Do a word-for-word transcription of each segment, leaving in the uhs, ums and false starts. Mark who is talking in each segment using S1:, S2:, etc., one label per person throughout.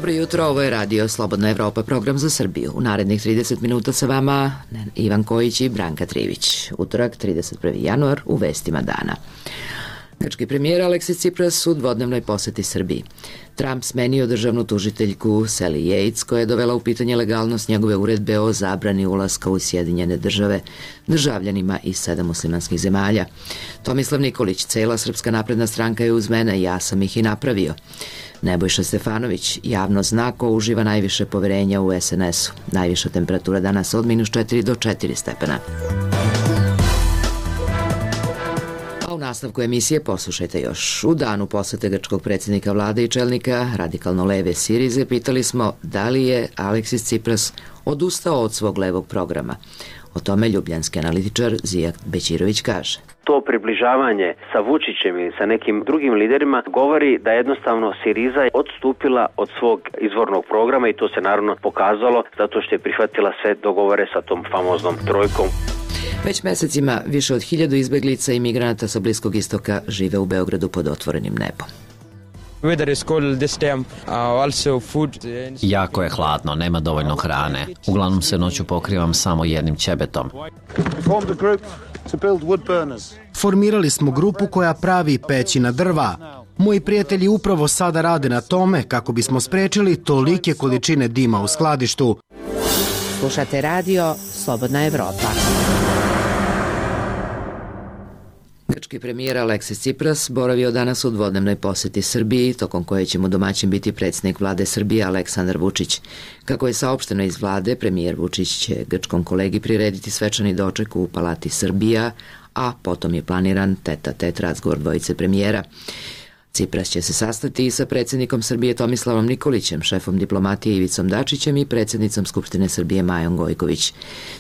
S1: Dobro jutro, ovo je Radio Slobodna Evropa, program za Srbiju. U narednih trideset minuta sa vama Ivan Kojić i Branka Trivić. Utorak, trideset prvi januar, u vestima dana. Grčki premijer Aleksis Cipras u dvodnevnoj poseti Srbiji. Trump smenio državnu tužiteljku Sally Yates, koja je dovela u pitanje legalnost njegove uredbe o zabrani ulaska u Sjedinjene države državljanima iz sedam muslimanskih zemalja. Tomislav Nikolić, cela Srpska napredna stranka je uz mene, ja sam ih i napravio. Nebojša Stefanović, javno zna ko uživa najviše poverenja u es en es-u. Najviša temperatura danas od minus četiri do četiri stepena. A u nastavku emisije poslušajte još. U danu posete grčkog predsjednika vlade i čelnika radikalno leve Sirize pitali smo da li je Aleksis Cipras odustao od svog levog programa. O tome ljubljanski analitičar Zijak Bećirović kaže.
S2: To približavanje sa Vučićem ili sa nekim drugim liderima govori da jednostavno Siriza je odstupila od svog izvornog programa i to se naravno pokazalo zato što je prihvatila sve dogovore sa tom famoznom trojkom.
S1: Već mesecima više od hiljadu izbeglica i migranata sa Bliskog istoka žive u Beogradu pod otvorenim nebom.
S3: Jako je hladno, nema dovoljno hrane. Uglavnom se noću pokrivam samo jednim ćebetom.
S4: Formirali smo grupu koja pravi peći na drva. Moji prijatelji upravo sada rade na tome kako bismo sprečili tolike količine dima u skladištu.
S5: Slušate radio Slobodna Evropa.
S1: Grčki premijer Aleksis Cipras boravio danas u dvodnevnoj poseti Srbiji, tokom koje će mu domaćin biti predsjednik vlade Srbije Aleksandar Vučić. Kako je saopšteno iz vlade, premijer Vučić će grčkom kolegi prirediti svečani doček u Palati Srbija, a potom je planiran tet-a-tet razgovor dvojice premijera. Cipras će se sastati i sa predsjednikom Srbije Tomislavom Nikolićem, šefom diplomatije Ivicom Dačićem i predsjednicom Skupštine Srbije Majom Gojković.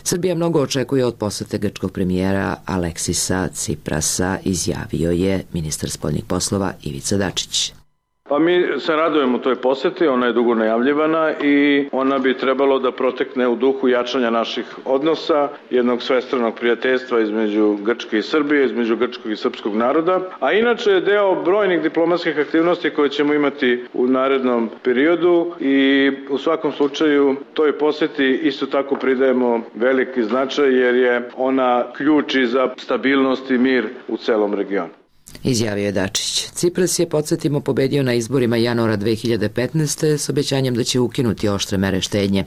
S1: Srbija mnogo očekuje od posete grčkog premijera Aleksisa Ciprasa, izjavio je ministar spoljnih poslova Ivica Dačić.
S6: Pa mi se radujemo toj poseti, ona je dugo najavljivana i ona bi trebalo da protekne u duhu jačanja naših odnosa, jednog svestranog prijateljstva između Grčke i Srbije, između grčkog i srpskog naroda, a inače je deo brojnih diplomatskih aktivnosti koje ćemo imati u narednom periodu i u svakom slučaju toj poseti isto tako pridajemo veliki značaj jer je ona ključ i za stabilnost i mir u celom regionu.
S1: Izjavio je Dačić. Cipras je, podsjetimo, pobedio na izborima januara dve hiljade petnaeste s obećanjem da će ukinuti oštre mere štednje,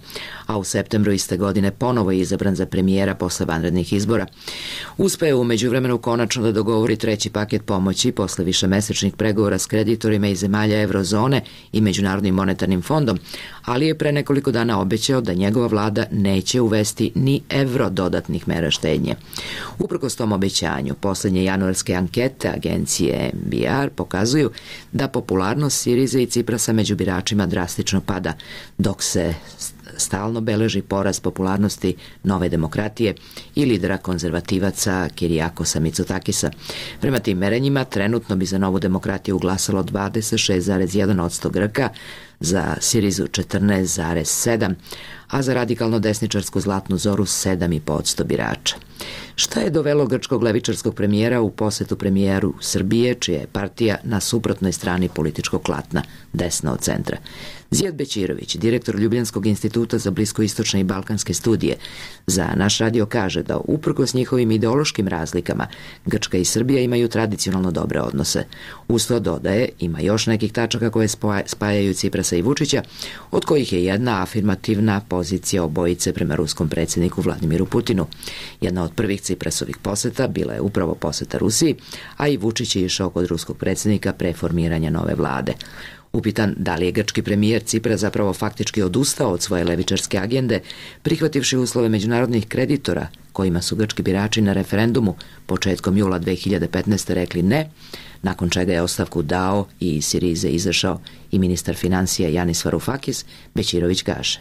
S1: a u septembru iste godine ponovo je izabran za premijera posle vanrednih izbora. Uspeo je u međuvremenu konačno da dogovori treći paket pomoći posle višemesečnih pregovora s kreditorima iz zemalja Evrozone i Međunarodnim monetarnim fondom, ali je pre nekoliko dana obećao da njegova vlada neće uvesti ni evro dodatnih mera štednje. Uprkos tom obećanju, poslednje januarske ankete agencije em be er pokazuju da popularnost Sirize i Ciprasa među biračima drastično pada, dok se stalno beleži porast popularnosti Nove demokratije i lidera konzervativaca Kirijakosa Mitsotakisa. Prema tim merenjima, trenutno bi za Novu demokratiju glasalo dvadeset šest zarez jedan posto Grka, za Sirizu četrnaest zarez sedam, a za radikalno desničarsku Zlatnu zoru sedam zarez pet posto birača. Šta je dovelo grčkog levičarskog premijera u posetu premijeru Srbije, čija je partija na suprotnoj strani političkog klatna, desna od centra? Zijak Bećirović, direktor Ljubljanskog instituta za bliskoistočne i balkanske studije, za naš radio kaže da uprkos njihovim ideološkim razlikama Grčka i Srbija imaju tradicionalno dobre odnose. Uz to dodaje, ima još nekih tačaka koje spajaju Ciprasa i Vučića, od kojih je jedna afirmativna pozicija obojice prema ruskom predsjedniku Vladimiru Putinu. Jedna od prvih Ciprasovih poseta bila je upravo poseta Rusiji, a i Vučić je išao kod ruskog predsjednika pre formiranja nove vlade. Upitan da li je grčki premijer Cipras zapravo faktički odustao od svoje levičarske agende, prihvativši uslove međunarodnih kreditora, kojima su grčki birači na referendumu početkom jula dve hiljade petnaeste rekli ne, nakon čega je ostavku dao i iz Sirize izašao i ministar financija Janis Varoufakis, Bećirović kaže.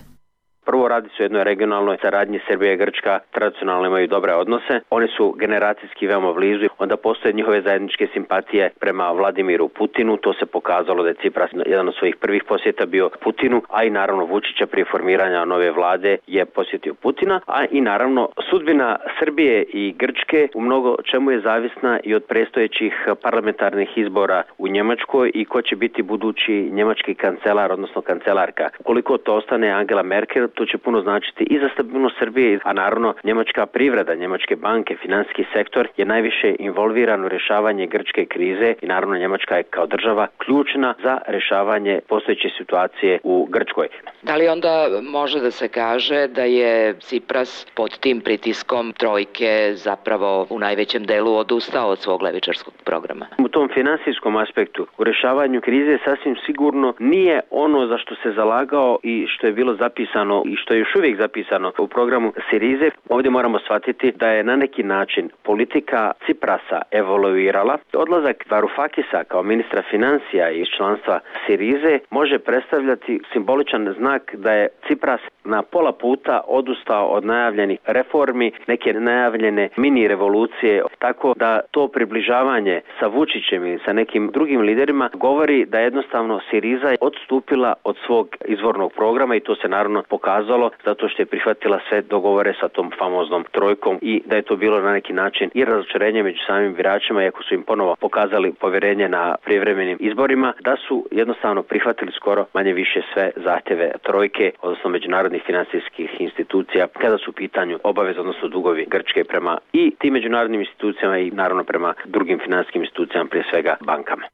S2: Prvo radi se o jednoj regionalnoj saradnji. Srbija i Grčka tradicionalno imaju dobre odnose. Oni su generacijski veoma blizu. Onda postoje njihove zajedničke simpatije prema Vladimiru Putinu. To se pokazalo da je Cipras jedan od svojih prvih posjeta bio Putinu, a i naravno Vučića prije formiranja nove vlade je posjetio Putina, a i naravno sudbina Srbije i Grčke u mnogo čemu je zavisna i od predstojećih parlamentarnih izbora u Njemačkoj i ko će biti budući njemački kancelar, odnosno kancelarka. Koliko to ostane Angela Merkel, to će puno značiti i za stabilnost Srbije, a naravno njemačka privreda, njemačke banke, finansijski sektor je najviše involviran u rješavanje grčke krize i naravno Njemačka je kao država ključna za rješavanje postojeće situacije u Grčkoj.
S1: Da li onda može da se kaže da je Cipras pod tim pritiskom trojke zapravo u najvećem delu odustao od svog levičarskog programa?
S2: U tom finansijskom aspektu, u rješavanju krize sasvim sigurno nije ono za što se zalagao i što je bilo zapisano i što je još uvijek zapisano u programu Sirize. Ovdje moramo shvatiti da je na neki način politika Ciprasa evoluirala. Odlazak Varoufakisa kao ministra financija iz članstva Sirize može predstavljati simboličan znak da je Cipras na pola puta odustao od najavljenih reformi, neke najavljene mini revolucije, tako da to približavanje sa Vučićem ili sa nekim drugim liderima govori da jednostavno Siriza je odstupila od svog izvornog programa i to se naravno pokazalo zato što je prihvatila sve dogovore sa tom famoznom trojkom i da je to bilo na neki način i razočarenje među samim biračima, iako su im ponovo pokazali povjerenje na prijevremenim izborima, da su jednostavno prihvatili skoro manje više sve zahtjeve trojke, odnosno međunarodnih financijskih institucija, kada su u pitanju obaveze, odnosno dugovi Grčke prema i tim međunarodnim institucijama i naravno prema drugim financijskim institucijama, prije svega bankama.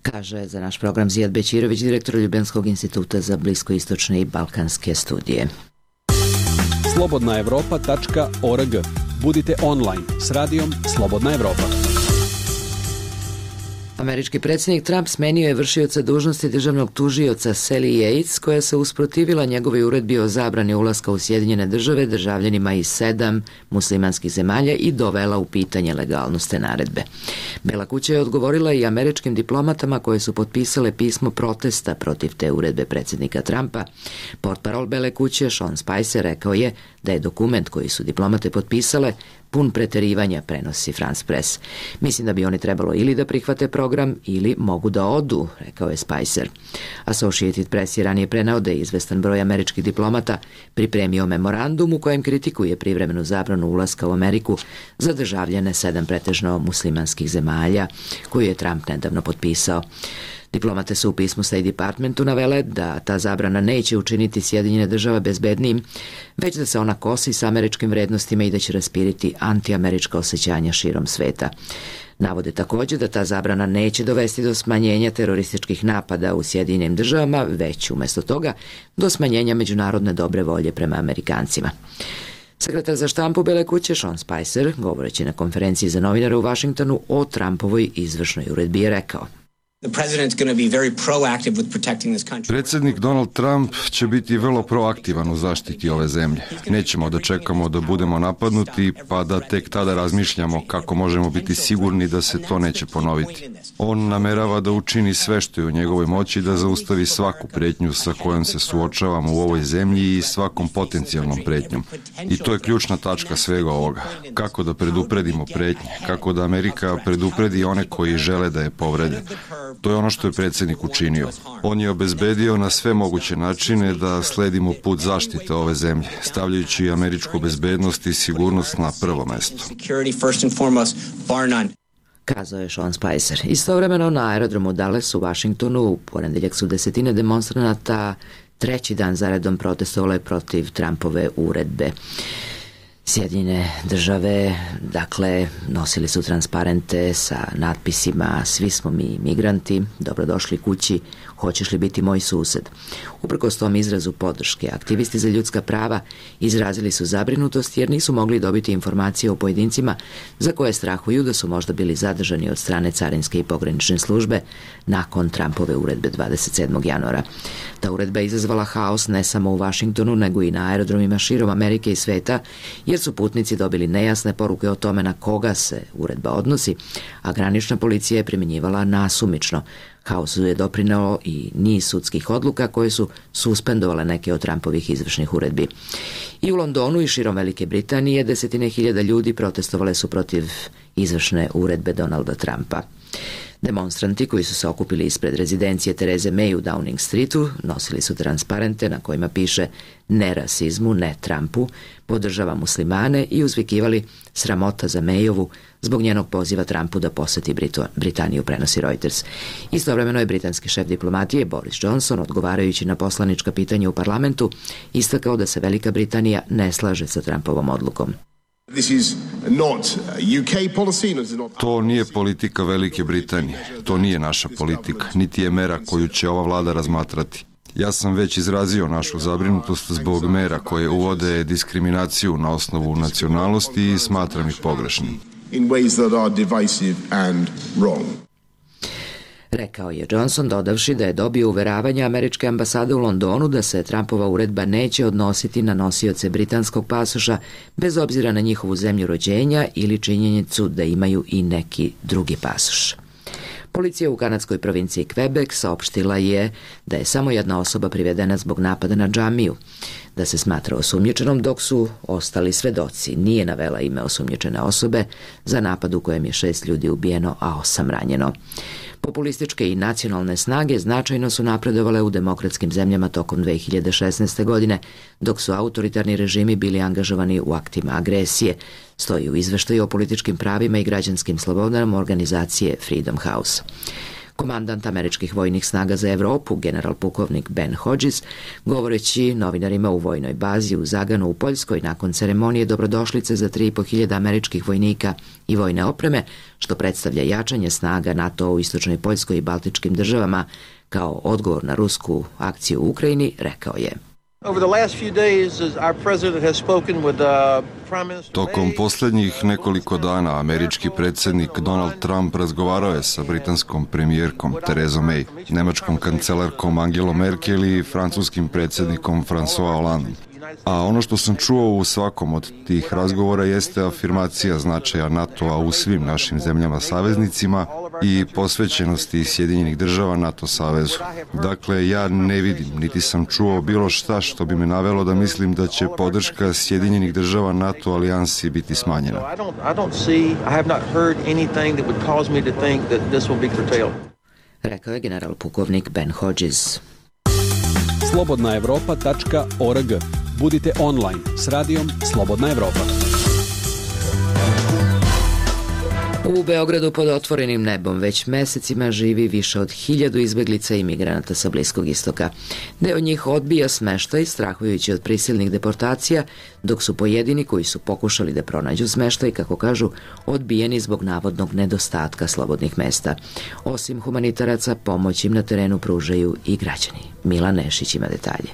S1: Kaže za naš program Zijad Bećirović, direktor Ljubljanskog instituta za bliskoistočne i balkanske studije.
S7: slobodna evropa tačka org. Budite online s radijom Slobodna Evropa.
S1: Američki predsjednik Trump smenio je vršioca dužnosti državnog tužioca Sally Yates, koja se usprotivila njegovoj uredbi o zabrani ulaska u Sjedinjene države državljanima iz sedam muslimanskih zemalja i dovela u pitanje legalnost te naredbe. Bela kuća je odgovorila i američkim diplomatama koje su potpisale pismo protesta protiv te uredbe predsjednika Trumpa. Portparol Bele kuće Sean Spicer rekao je da je dokument koji su diplomate potpisale pun preterivanja, prenosi France Press. Mislim da bi oni trebalo ili da prihvate program ili mogu da odu, rekao je Spicer. Associated Press je ranije preneo da je izvestan broj američkih diplomata pripremio memorandum u kojem kritikuje privremenu zabranu ulaska u Ameriku za državljane sedam pretežno muslimanskih zemalja koju je Trump nedavno potpisao. Diplomate su u pismu State Departmentu navele da ta zabrana neće učiniti Sjedinjene države bezbednijim, već da se ona kosi sa američkim vrednostima i da će raspiriti antiamerička osjećanja širom sveta. Navode također da ta zabrana neće dovesti do smanjenja terorističkih napada u Sjedinjenim državama, već umjesto toga do smanjenja međunarodne dobre volje prema Amerikancima. Sekretar za štampu Bele kuće Sean Spicer, govoreći na konferenciji za novinare u Vašingtonu o Trumpovoj izvršnoj uredbi, je rekao:
S8: Predsjednik Donald Trump će biti vrlo proaktivan u zaštiti ove zemlje. Nećemo da čekamo da budemo napadnuti pa da tek tada razmišljamo kako možemo biti sigurni da se to neće ponoviti. On namerava da učini sve što je u njegovoj moći da zaustavi svaku pretnju sa kojom se suočavamo u ovoj zemlji i svakom potencijalnom pretnjom. I to je ključna tačka svega ovoga. Kako da predupredimo pretnje, kako da Amerika predupredi one koji žele da je povrede. To je ono što je predsjednik učinio. On je obezbedio na sve moguće načine da sledimo put zaštite ove zemlje, stavljajući američku bezbednost i sigurnost na prvo mesto.
S1: Kazao je Sean Spicer. Istovremeno na aerodromu Dallas u Vašingtonu u ponedeljak su desetine demonstranata treći dan zaredom protestovale protiv Trumpove uredbe. Sjedinjene države, dakle, nosili su transparente sa natpisima "Svi smo mi migranti, dobrodošli kući, hoćeš li biti moj sused?" Uprkos tom izrazu podrške, aktivisti za ljudska prava izrazili su zabrinutost jer nisu mogli dobiti informacije o pojedincima za koje strahuju da su možda bili zadržani od strane carinske i pogranične službe nakon Trumpove uredbe dvadeset sedmog januara. Ta uredba je izazvala haos ne samo u Vašingtonu, nego i na aerodromima širom Amerike i sveta, jer jer su putnici dobili nejasne poruke o tome na koga se uredba odnosi, a granična policija je primjenjivala nasumično. Haosu je doprineo i niz sudskih odluka koje su suspendovale neke od Trumpovih izvršnih uredbi. I u Londonu i širom Velike Britanije desetine hiljada ljudi protestovale su protiv izvršne uredbe Donalda Trumpa. Demonstranti koji su se okupili ispred rezidencije Tereze May u Downing Streetu nosili su transparente na kojima piše "Ne rasizmu, ne Trumpu", "Podržava muslimane" i uzvikivali "Sramota za Mayovu" zbog njenog poziva Trumpu da poseti Britaniju, prenosi Reuters. Istovremeno je britanski šef diplomatije Boris Johnson, odgovarajući na poslanička pitanja u parlamentu, istakao da se Velika Britanija ne slaže sa Trumpovom odlukom.
S8: To nije politika Velike Britanije, to nije naša politika, niti je mera koju će ova vlada razmatrati. Ja sam već izrazio našu zabrinutost zbog mera koje uvode diskriminaciju na osnovu nacionalnosti i smatram ih pogrešnim.
S1: Rekao je Johnson, dodavši da je dobio uveravanje američke ambasade u Londonu da se Trumpova uredba neće odnositi na nosioce britanskog pasoša bez obzira na njihovu zemlju rođenja ili činjenicu da imaju i neki drugi pasoš. Policija u kanadskoj provinciji Quebec saopštila je da je samo jedna osoba privedena zbog napada na džamiju, da se smatra osumnjičenom, dok su ostali svedoci. Nije navela ime osumnjičene osobe za napad u kojem je šest ljudi ubijeno, a osam ranjeno. Populističke i nacionalne snage značajno su napredovale u demokratskim zemljama tokom dve hiljade šesnaeste. godine, dok su autoritarni režimi bili angažovani u aktima agresije, stoji u izveštaju o političkim pravima i građanskim slobodama organizacije Freedom House. Komandant američkih vojnih snaga za Evropu, general pukovnik Ben Hodges, govoreći novinarima u vojnoj bazi u Zaganu u Poljskoj nakon ceremonije dobrodošlice za tri i po hiljada američkih vojnika i vojne opreme, što predstavlja jačanje snaga NATO u istočnoj Poljskoj i baltičkim državama kao odgovor na rusku akciju u Ukrajini, rekao je:
S8: Tokom posljednjih nekoliko dana američki predsjednik Donald Trump razgovarao je sa britanskom premijerkom Terezom May, nemačkom kancelarkom Angelom Merkel i francuskim predsjednikom François Hollandom. A ono što sam čuo u svakom od tih razgovora jeste afirmacija značaja NATO-a u svim našim zemljama saveznicima i posvećenosti Sjedinjenih država NATO savezu. Dakle, ja ne vidim, niti sam čuo bilo šta što bi me navelo da mislim da će podrška Sjedinjenih država NATO alijansi biti smanjena.
S1: Rekao je general pukovnik Ben Hodges.
S7: slobodna evropa tačka org. Budite online s radijom Slobodna Evropa.
S1: U Beogradu pod otvorenim nebom već mesecima živi više od hiljadu izbeglica i migranata sa Bliskog istoka. Deo njih odbija smeštaj, strahujući od prisilnih deportacija, dok su pojedini koji su pokušali da pronađu smeštaj, kako kažu, odbijeni zbog navodnog nedostatka slobodnih mesta. Osim humanitaraca, pomoć im na terenu pružaju i građani. Milan Nešić ima detalje.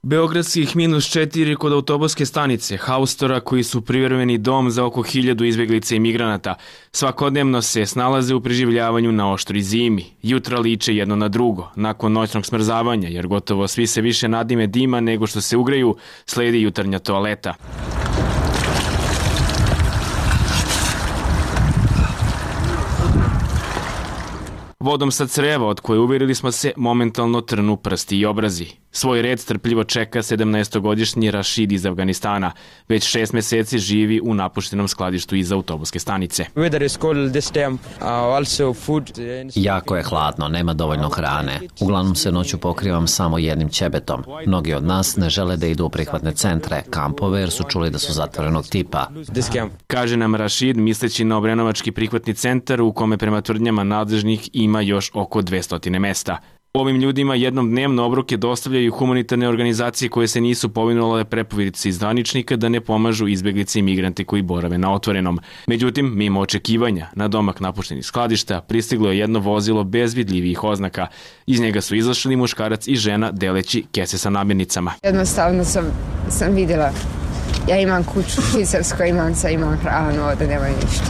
S9: Beogradskih minus četiri kod autobuske stanice, haustora koji su privremeni dom za oko hiljadu izbeglica i migranata, svakodnevno se snalaze u preživljavanju na oštroj zimi. Jutra liče jedno na drugo, nakon noćnog smrzavanja, jer gotovo svi se više nadime dima nego što se ugreju, sledi jutarnja toaleta. Vodom sa creva, od koje uverili smo se, momentalno trnu prsti i obrazi. Svoj red strpljivo čeka sedamnaestogodišnji Rašid iz Afganistana. Već šest meseci živi u napuštenom skladištu iza autobuske stanice.
S3: Jako je hladno, nema dovoljno hrane. Uglavnom se noću pokrivam samo jednim ćebetom. Mnogi od nas ne žele da idu u prihvatne centre, kampove, jer su čuli da su zatvorenog tipa.
S9: Kaže nam Rašid, misleći na Obrenovački prihvatni centar u kome prema tvrdnjama nadležnih ima još oko dvesta mesta. Ovim ljudima jednom dnevno obroke dostavljaju humanitarne organizacije koje se nisu povinule prepovidici iz zvaničnika da ne pomažu izbeglice i migrante koji borave na otvorenom. Međutim, mimo očekivanja, na domak napuštenih skladišta pristiglo je jedno vozilo bez vidljivih oznaka. Iz njega su izašli muškarac i žena deleći kese sa namirnicama.
S10: Jednostavno sam, sam vidjela, ja imam kuću u Švicarskoj, imam sa, imam hranu, ovdje nema ništa.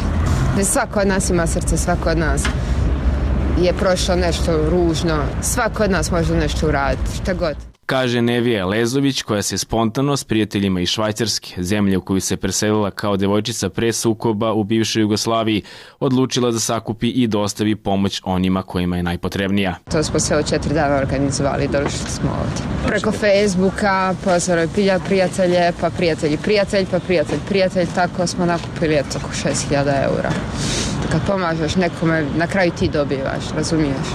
S10: Svako od nas ima srce, svako od nas je prošlo nešto ružno. Svako od nas može nešto uraditi, šta god.
S9: Kaže Nevija Lezović, koja se spontano s prijateljima iz Švajcarske, zemlje u koju se preselila kao devojčica pre sukoba u bivšoj Jugoslaviji, odlučila da sakupi i dostavi pomoć onima kojima je najpotrebnija.
S10: To smo sve od četiri dana organizovali, došli smo ovdje. Preko Facebooka, pozvali prijatelje, pa prijatelji prijatelj, pa prijatelj prijatelj, tako smo nakupili eto oko šest hiljada eura. Kad pomažeš nekome, na kraju ti dobivaš, razumiješ?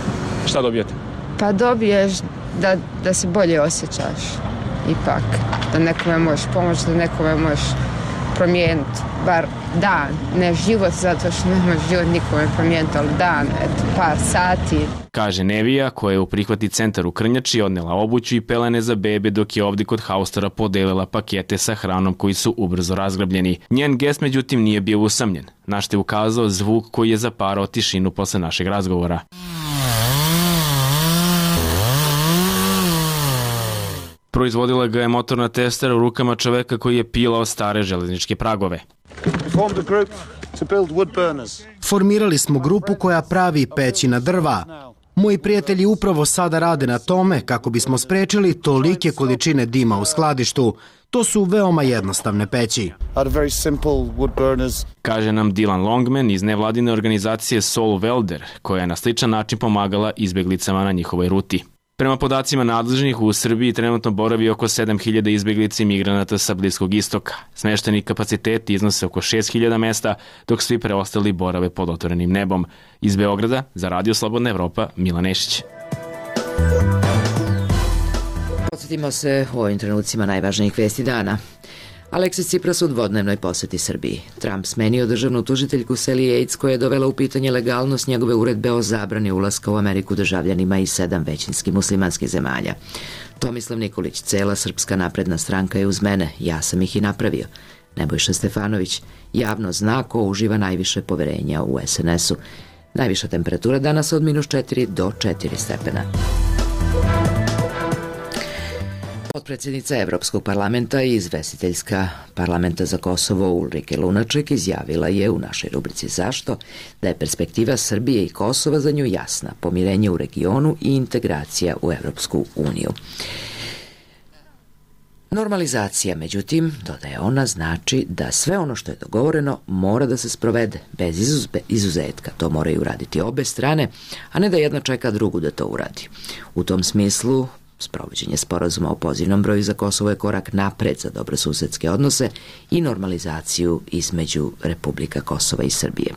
S9: Šta dobijete?
S10: Pa dobiješ da, da se bolje osjećaš, ipak, da nekome možeš pomoći, da nekome možeš promijeniti, bar dan, ne život, zato što ne možeš život nikome promijeniti, ali dan, eto, par sati.
S9: Kaže Nevija, koja je u prihvatni centar u Krnjači odnela obuću i pelene za bebe, dok je ovdje kod haustora podelila pakete sa hranom koji su ubrzo razgrabljeni. Njen gest, međutim, nije bio usamljen, na što je ukazao zvuk koji je zaparao tišinu posle našeg razgovora. Proizvodila ga je motorna testera u rukama čoveka koji je pilao stare železničke pragove.
S4: Formirali smo grupu koja pravi peći na drva. Moji prijatelji upravo sada rade na tome kako bismo sprečili tolike količine dima u skladištu. To su veoma jednostavne peći.
S9: Kaže nam Dylan Longman iz nevladine organizacije Soul Welder, koja je na sličan način pomagala izbjeglicama na njihovoj ruti. Prema podacima nadležnih, u Srbiji trenutno boravi oko sedam hiljada izbjeglica i migranata sa Bliskog istoka. Smešteni kapaciteti iznose oko šest hiljada mesta, dok svi preostali borave pod otvorenim nebom. Iz Beograda, za Radio Slobodna Evropa, Milan Nešić.
S1: Podsjetimo se u ovim trenucima najvažnijih vesti dana. Aleksis Tsipras u dvodnevnoj poseti Srbiji. Trump smenio državnu tužiteljku Sally Yates, koja je dovela u pitanje legalnost njegove uredbe o zabrani ulaska u Ameriku državljanima iz sedam većinskih muslimanskih zemalja. Tomislav Nikolić, cela Srpska napredna stranka je uz mene, ja sam ih i napravio. Nebojša Stefanović, javno zna ko uživa najviše poverenja u es en esu. Najviša temperatura danas od minus četiri do četiri stepena. Potpredsjednica Evropskog parlamenta i izvestiteljska parlamenta za Kosovo Ulrike Lunaček izjavila je u našoj rubrici Zašto da je perspektiva Srbije i Kosova za nju jasna, pomirenje u regionu i integracija u Evropsku uniju. Normalizacija, međutim, dodaje ona, znači da sve ono što je dogovoreno mora da se sprovede bez izuzetka. To moraju uraditi obe strane, a ne da jedna čeka drugu da to uradi. U tom smislu, sprovođenje sporazuma o pozivnom broju za Kosovo je korak napred za dobrosusedske odnose i normalizaciju između Republika Kosova i Srbije.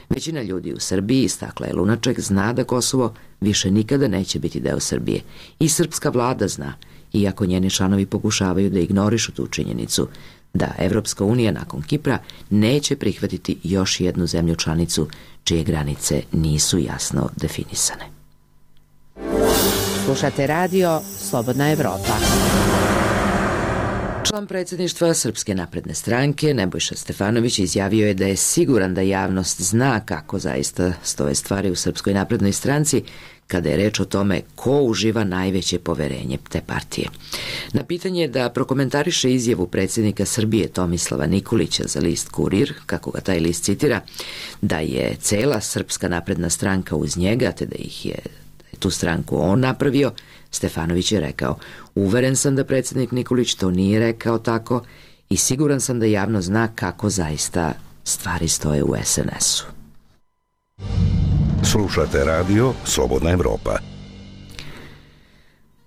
S1: Većina ljudi u Srbiji, istakla je Lunaček, zna da Kosovo više nikada neće biti deo Srbije. I srpska vlada zna, iako njeni članovi pokušavaju da ignorišu tu činjenicu, da Evropska unija nakon Kipra neće prihvatiti još jednu zemlju članicu čije granice nisu jasno definisane.
S5: Slušate radio Slobodna Evropa.
S1: Član predsjedništva Srpske napredne stranke Nebojša Stefanović izjavio je da je siguran da javnost zna kako zaista stoje stvari u Srpskoj naprednoj stranci kada je reč o tome ko uživa najveće poverenje te partije. Na pitanje da prokomentariše izjavu predsjednika Srbije Tomislava Nikolića za list Kurir, kako ga taj list citira, da je cela Srpska napredna stranka uz njega, te da ih je tu stranku on napravio, Stefanović je rekao: uveren sam da predsjednik Nikolić to nije rekao tako i siguran sam da javno zna kako zaista stvari stoje u es en esu.
S11: Slušate radio Slobodna Evropa.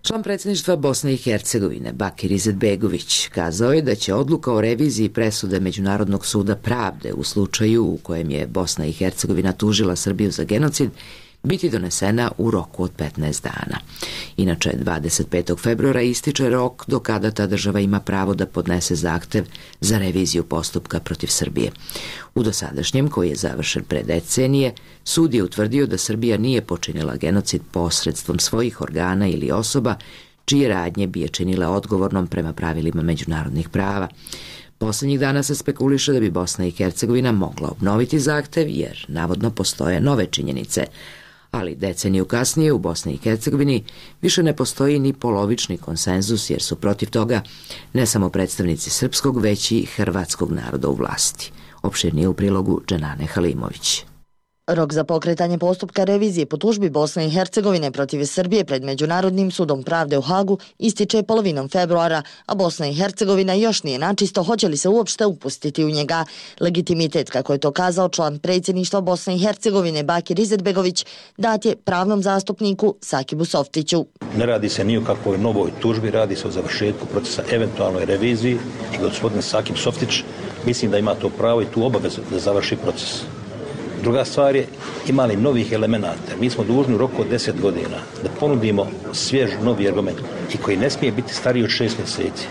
S1: Član predsjedništva Bosne i Hercegovine Bakir Izetbegović kazao je da će odluka o reviziji presude Međunarodnog suda pravde u slučaju u kojem je Bosna i Hercegovina tužila Srbiju za genocid biti donesena u roku od petnaest dana. Inače, dvadeset petog februara ističe rok do kada ta država ima pravo da podnese zahtev za reviziju postupka protiv Srbije. U dosadašnjem, koji je završen pre decenije, sud je utvrdio da Srbija nije počinila genocid posredstvom svojih organa ili osoba čije radnje bi je činile odgovornom prema pravilima međunarodnih prava. Poslednjih dana se spekuliše da bi Bosna i Hercegovina mogla obnoviti zahtev jer navodno postoje nove činjenice, ali deceniju kasnije u Bosni i Hercegovini više ne postoji ni polovični konsenzus jer su protiv toga ne samo predstavnici srpskog, već i hrvatskog naroda u vlasti. Opširnije u prilogu Dženane Halimović.
S12: Rok za pokretanje postupka revizije po tužbi Bosne i Hercegovine protiv Srbije pred Međunarodnim sudom pravde u Hagu ističe polovinom februara, a Bosna i Hercegovina još nije načisto hoće li se uopšte upustiti u njega. Legitimitet, kako je to kazao član predsjedništva Bosne i Hercegovine Bakir Izetbegović, dat je pravnom zastupniku Sakibu Softiću.
S13: Ne radi se ni o kakvoj novoj tužbi, radi se o završetku procesa eventualnoj reviziji i gospodin Sakib Softić mislim da ima to pravo i tu obavezu da završi proces. Druga stvar je, ima li novih elemenata? Mi smo dužni u roku od deset godina da ponudimo svjež novi argument i koji ne smije biti stariji od šest mjeseci.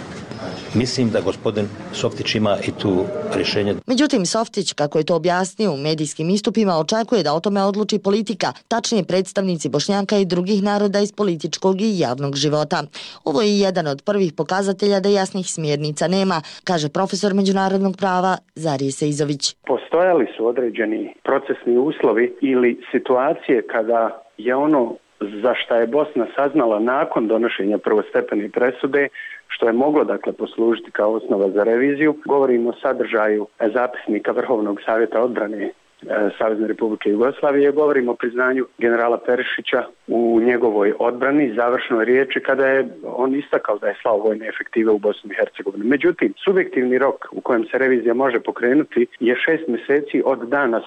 S13: Mislim da gospodin Softić ima i tu rješenje.
S12: Međutim, Softić, kako je to objasnio u medijskim istupima, očekuje da o tome odluči politika, tačnije predstavnici Bošnjaka i drugih naroda iz političkog i javnog života. Ovo je jedan od prvih pokazatelja da jasnih smjernica nema, kaže profesor međunarodnog prava Zarije Seizović.
S14: Postojali su određeni procesni uslovi ili situacije kada je ono za šta je Bosna saznala nakon donošenja prvostepene presude, što je moglo dakle poslužiti kao osnova za reviziju. Govorimo o sadržaju zapisnika Vrhovnog savjeta odbrane Savezne Republike Jugoslavije, govorimo o priznanju generala Perišića u njegovoj odbrani, završnoj riječi kada je on istakao da je slao vojne efektive u Bosnu i Hercegovinu. Međutim, subjektivni rok u kojem se revizija može pokrenuti je šest mjeseci od dana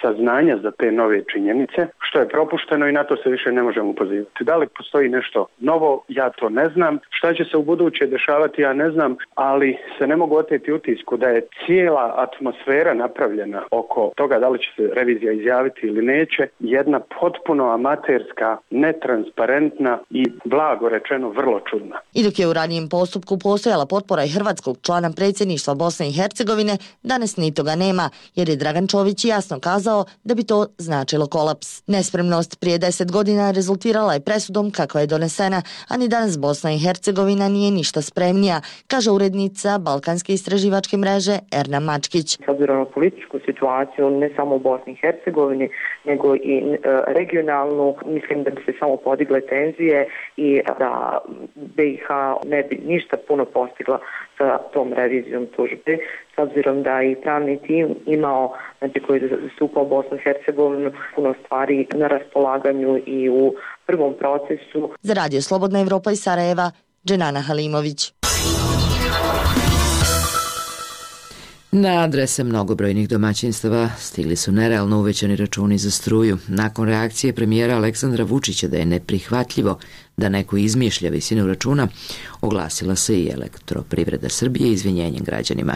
S14: saznanja za te nove činjenice, što je propušteno i na to se više ne možemo pozivati. Da li postoji nešto novo, ja to ne znam. Šta će se u buduće dešavati, ja ne znam, ali se ne mogu oteti utisku da je cijela atmosfera napravljena oko toga da li će se revizija izjaviti ili neće, jedna potpuno amaterska, netransparentna i blago rečeno vrlo čudna.
S12: I dok je u ranijem postupku postojala potpora i hrvatskog člana predsjedništva Bosne i Hercegovine, danas ni toga nema, jer je Dragan Čović jasno kazao da bi to značilo kolaps. Nespremnost prije deset godina rezultirala je presudom kakva je donesena, a ni danas Bosna i Hercegovina nije ništa spremnija, kaže urednica Balkanske istraživačke mreže Erna Mačkić.
S15: S obzirom na političku situaciju, ne samo u Bosni i Hercegovini, nego i e, regionalnu, mislim da bi se samo podigle tenzije i da B i H ne bi ništa puno postigla sa tom revizijom tužbe, s obzirom da i pravni tim imao, znači koji je zastupao Bosnu i Hercegovinu, puno stvari na raspolaganju i u prvom procesu.
S12: Za Radio Slobodna Evropa iz Sarajeva, Dženana Halimović.
S1: Na adrese mnogobrojnih domaćinstava stigli su nerealno uvećani računi za struju. Nakon reakcije premijera Aleksandra Vučića da je neprihvatljivo da neko izmišlja visinu računa, oglasila se i Elektroprivreda Srbije izvinjenjem građanima.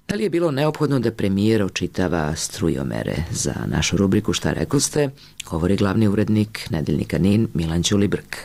S1: Da li je bilo neophodno da premijer očitava strujomere? Za našu rubriku Šta rekoste, govori glavni urednik Nedeljnika Nin Milan Ćulibrk.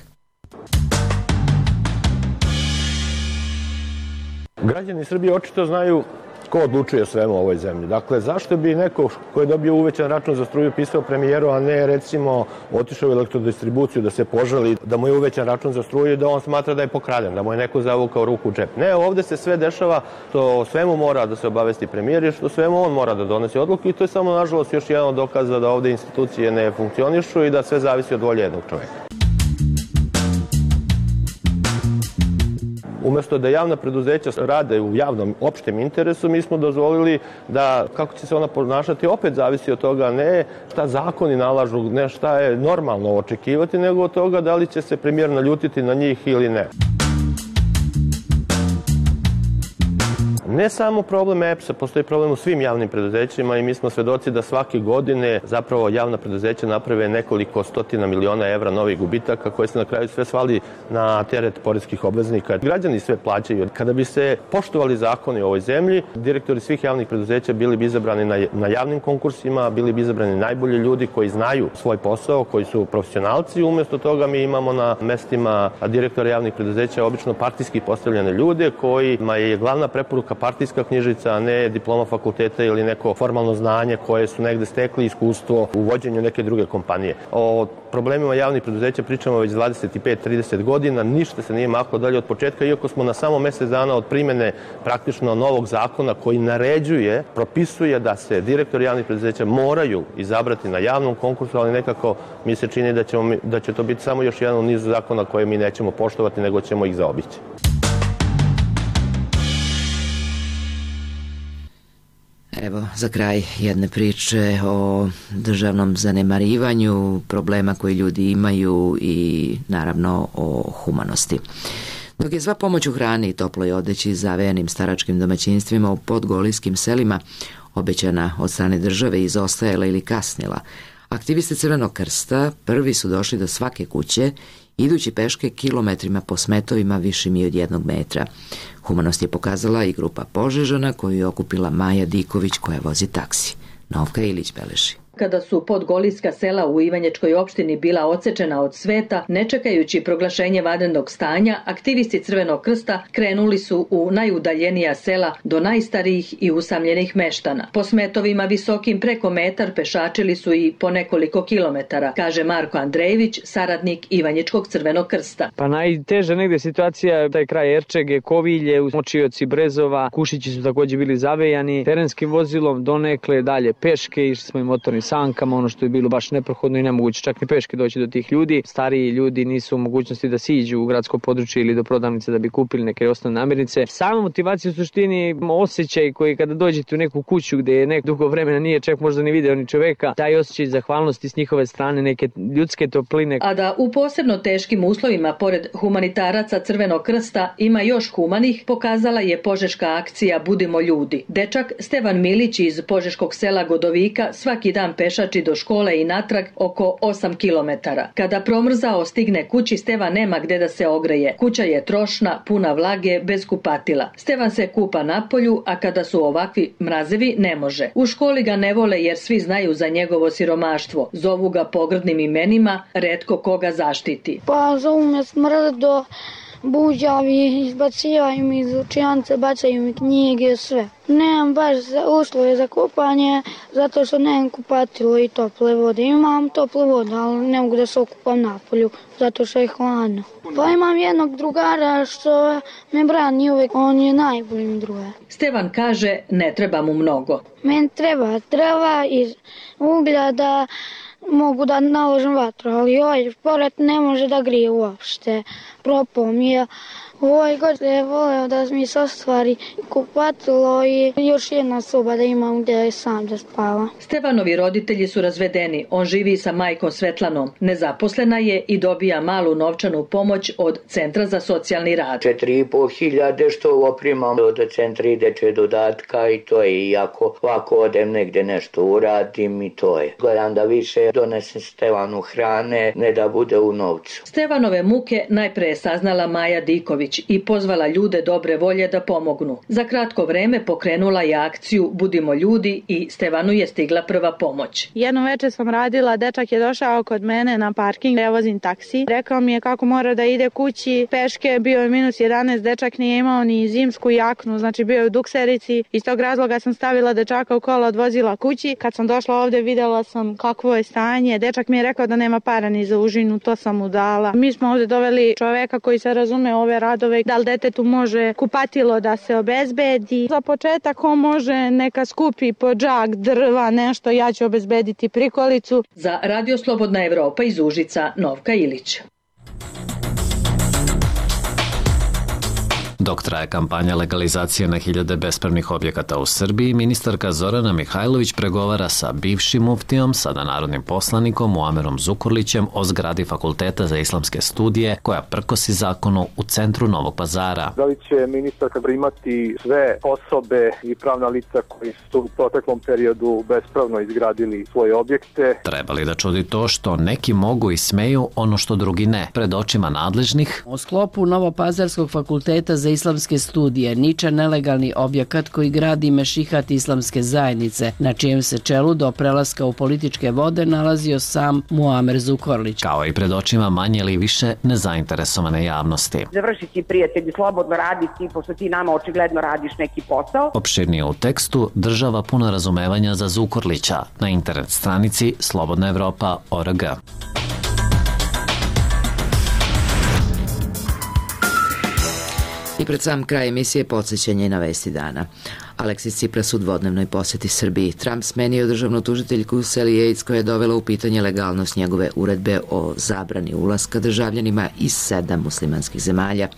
S16: Građani Srbije očito znaju ko odlučuje o svemu u ovoj zemlji. Dakle, zašto bi neko ko je dobio uvećan račun za struju pisao premijeru, a ne recimo otišao u elektrodistribuciju da se požali da mu je uvećan račun za struju i da on smatra da je pokraden, da mu je neko zavukao ruku u džep. Ne, ovde se sve dešava, to o svemu mora da se obavesti premijer i što svemu on mora da donosi odluku i to je samo, nažalost, još jedan od dokaza da ovde institucije ne funkcionišu i da sve zavisi od volje jednog čoveka. Umesto da javna preduzeća rade u javnom opštem interesu, mi smo dozvolili da kako će se ona ponašati opet zavisi od toga ne šta zakoni nalažu, ne šta je normalno očekivati, nego od toga da li će se premijer naljutiti na njih ili ne. Ne samo problem E P S-a, postoji problem u svim javnim preduzećima i mi smo svedoci da svake godine zapravo javna preduzeća naprave nekoliko stotina miliona evra novih gubitaka koje se na kraju sve svali na teret poreskih obveznika. Građani sve plaćaju. Kada bi se poštovali zakoni u ovoj zemlji, direktori svih javnih preduzeća bili bi izabrani na, na javnim konkursima, bili bi izabrani najbolji ljudi koji znaju svoj posao, koji su profesionalci. Umesto toga mi imamo na mestima direktora javnih preduzeća obično partijski postavljene ljude kojima je glavna preporuka partijska knjižica, a ne diploma fakulteta ili neko formalno znanje koje su negde stekli iskustvo u vođenju neke druge kompanije. O problemima javnih preduzeća pričamo već dvadeset pet do trideset godina, ništa se nije maklo dalje od početka, iako smo na samo mesec dana od primene praktično novog zakona koji naređuje, propisuje da se direktori javnih preduzeća moraju izabrati na javnom konkursu, ali nekako mi se čini da, ćemo, da će to biti samo još jedan u nizu zakona koje mi nećemo poštovati, nego ćemo ih zaobići.
S1: Evo, za kraj jedne priče o državnom zanemarivanju, problema koji ljudi imaju i naravno o humanosti. Dok je sva pomoć u hrani i toploj odeći zavejanim staračkim domaćinstvima u podgolijskim selima obećana od strane države izostajala ili kasnila, aktivisti Crvenog krsta prvi su došli do svake kuće, idući peške kilometrima po smetovima višim i od jednog metra. Humanost je pokazala i grupa Požežana koju je okupila Maja Diković koja vozi taksi. Novka Ilić beleži.
S17: Kada su podgolijska sela u Ivanječkoj opštini bila odsečena od sveta, ne čekajući proglašenje vanrednog stanja, aktivisti Crvenog krsta krenuli su u najudaljenija sela do najstarijih i usamljenih meštana. Po smetovima visokim preko metar pešačili su i po nekoliko kilometara, kaže Marko Andrejević, saradnik Ivanječkog Crvenog krsta.
S18: Pa najteža negde situacija, taj kraj Erčege, Kovilje, Močioci, Brezova, Kušići su također bili zavejani terenskim vozilom, donekle dalje peške, išli smo i motornim sankama, ono što je bilo baš neprohodno i nemoguće čak ni peške doći do tih ljudi. Stariji ljudi nisu u mogućnosti da siđu u gradsko područje ili do prodavnice da bi kupili neke osnovne namirnice. Sama motivacija u suštini, osjećaj koji kada dođete u neku kuću gdje je nek dugo vremena nije čak možda ni video ni čoveka, taj osjećaj zahvalnosti s njihove strane, neke ljudske topline.
S17: A da u posebno teškim uslovima, pored humanitaraca Crvenog krsta, ima još humanih, pokazala je požeška akcija Budimo ljudi. Dečak Stevan Milić iz požeškog sela Godovika svaki dan pešači do škole i natrag oko osam kilometara. Kada promrzao stigne kući, Stevan nema gde da se ogreje. Kuća je trošna, puna vlage, bez kupatila. Stevan se kupa napolju, a kada su ovakvi mrazevi ne može. U školi ga ne vole jer svi znaju za njegovo siromaštvo. Zovu ga pogrdnim imenima, retko koga zaštiti.
S19: Pa zovu me smrdo, buđavi, izbacivaju mi iz učijance, bacaju mi knjige, sve. Nemam baš uslove za kupanje, zato što nemam kupatilo i tople vode. Imam tople vode, ali ne mogu da se okupam napolju, zato što je hladno. Pa imam jednog drugara što me brani uvek, on je najbolji mi drugar.
S17: Stevan kaže ne treba mu mnogo.
S19: Meni treba drva i uglja da mogu da naložim vatru, ali ovaj pored ne može da grije uopšte. Propao mi je. Ovaj god je voleo da mi se ostvari kupatilo i još jedna soba da imam gdje je sam da spava.
S17: Stevanovi roditelji su razvedeni. On živi sa majkom Svetlanom. Nezaposlena je i dobija malu novčanu pomoć od Centra za socijalni rad.
S20: Četiri i po hiljade što oprimam od centra i dečje dodatka i to je. Iako ovako odem negdje nešto uradim i to je. Gledam da više donesem Stevanu hrane, ne da bude u novcu.
S17: Stevanove muke najpre je saznala Maja Diković i pozvala ljude dobre volje da pomognu. Za kratko vreme pokrenula je akciju Budimo ljudi i Stevanu je stigla prva pomoć.
S21: Jedno večer sam radila, dečak je došao kod mene na parking, ja vozim taksi. Rekao mi je kako mora da ide kući, peške, bio je minus jedanaest, dečak nije imao ni zimsku jaknu, znači bio je u dukserici. Iz tog razloga sam stavila dečaka u kola, odvozila kući. Kad sam došla ovdje vidjela sam kakvo je stanje. Dečak mi je rekao da nema para ni za užinu, to sam mu dala. Mi smo ovdje doveli čoveka koji se razume ove radove, da li detetu može kupatilo da se obezbedi. Za početak on može neka skupi po džak drva, nešto, ja ću obezbediti prikolicu.
S17: Za Radio Slobodna Evropa iz Užica, Novka Ilić.
S3: Dok traje kampanja legalizacije na hiljade bespravnih objekata u Srbiji, ministarka Zorana Mihajlović pregovara sa bivšim muftijom, sada narodnim poslanikom Muamerom Zukorlićem o zgradi Fakulteta za islamske studije koja prkosi zakonu u centru Novog Pazara.
S22: Da li će ministarka primati sve osobe i pravna lica koji su u proteklom periodu bespravno izgradili svoje objekte?
S3: Treba li da čudi to što neki mogu i smeju ono što drugi ne? Pred očima nadležnih
S23: u sklopu Novopazarskog fakulteta za islamske studije niča nelegalni objekat koji gradi mešihat islamske zajednice, na čijem se čelu do prelaska u političke vode nalazio sam Muamer Zukorlić.
S3: Kao i pred očima manje ili više nezainteresovane javnosti.
S24: Završi ti, prijatelji, slobodno radi ti, pošto ti nama očigledno radiš neki posao.
S3: Opširnije u tekstu država puno razumevanja za Zukorlića na internet stranici slobodna evropa tačka org.
S1: I pred sam kraj emisije podsjećanje na vesti dana. Aleksis Tsipras u dvodnevnoj posjeti Srbiji. Trump smenio državnu tužiteljku Sally Yates koja je dovela u pitanje legalnost njegove uredbe o zabrani ulaska državljanima iz sedam muslimanskih zemalja.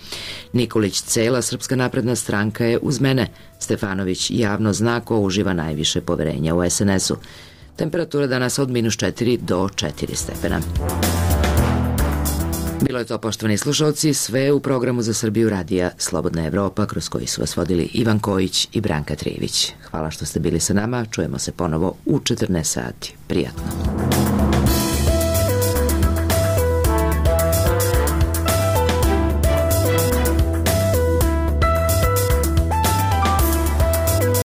S1: Nikolić Cela, Srpska napredna stranka, je uz mene. Stefanović javno zna ko uživa najviše poverenja u es en esu. Temperatura danas od minus četiri do četiri stepena. Bilo je to, poštovani slušalci, sve u programu za Srbiju radija Slobodna Evropa, kroz koji su vas vodili Ivan Kojić i Branka Trijević. Hvala što ste bili sa nama, čujemo se ponovo u četrnaest sati. Prijatno.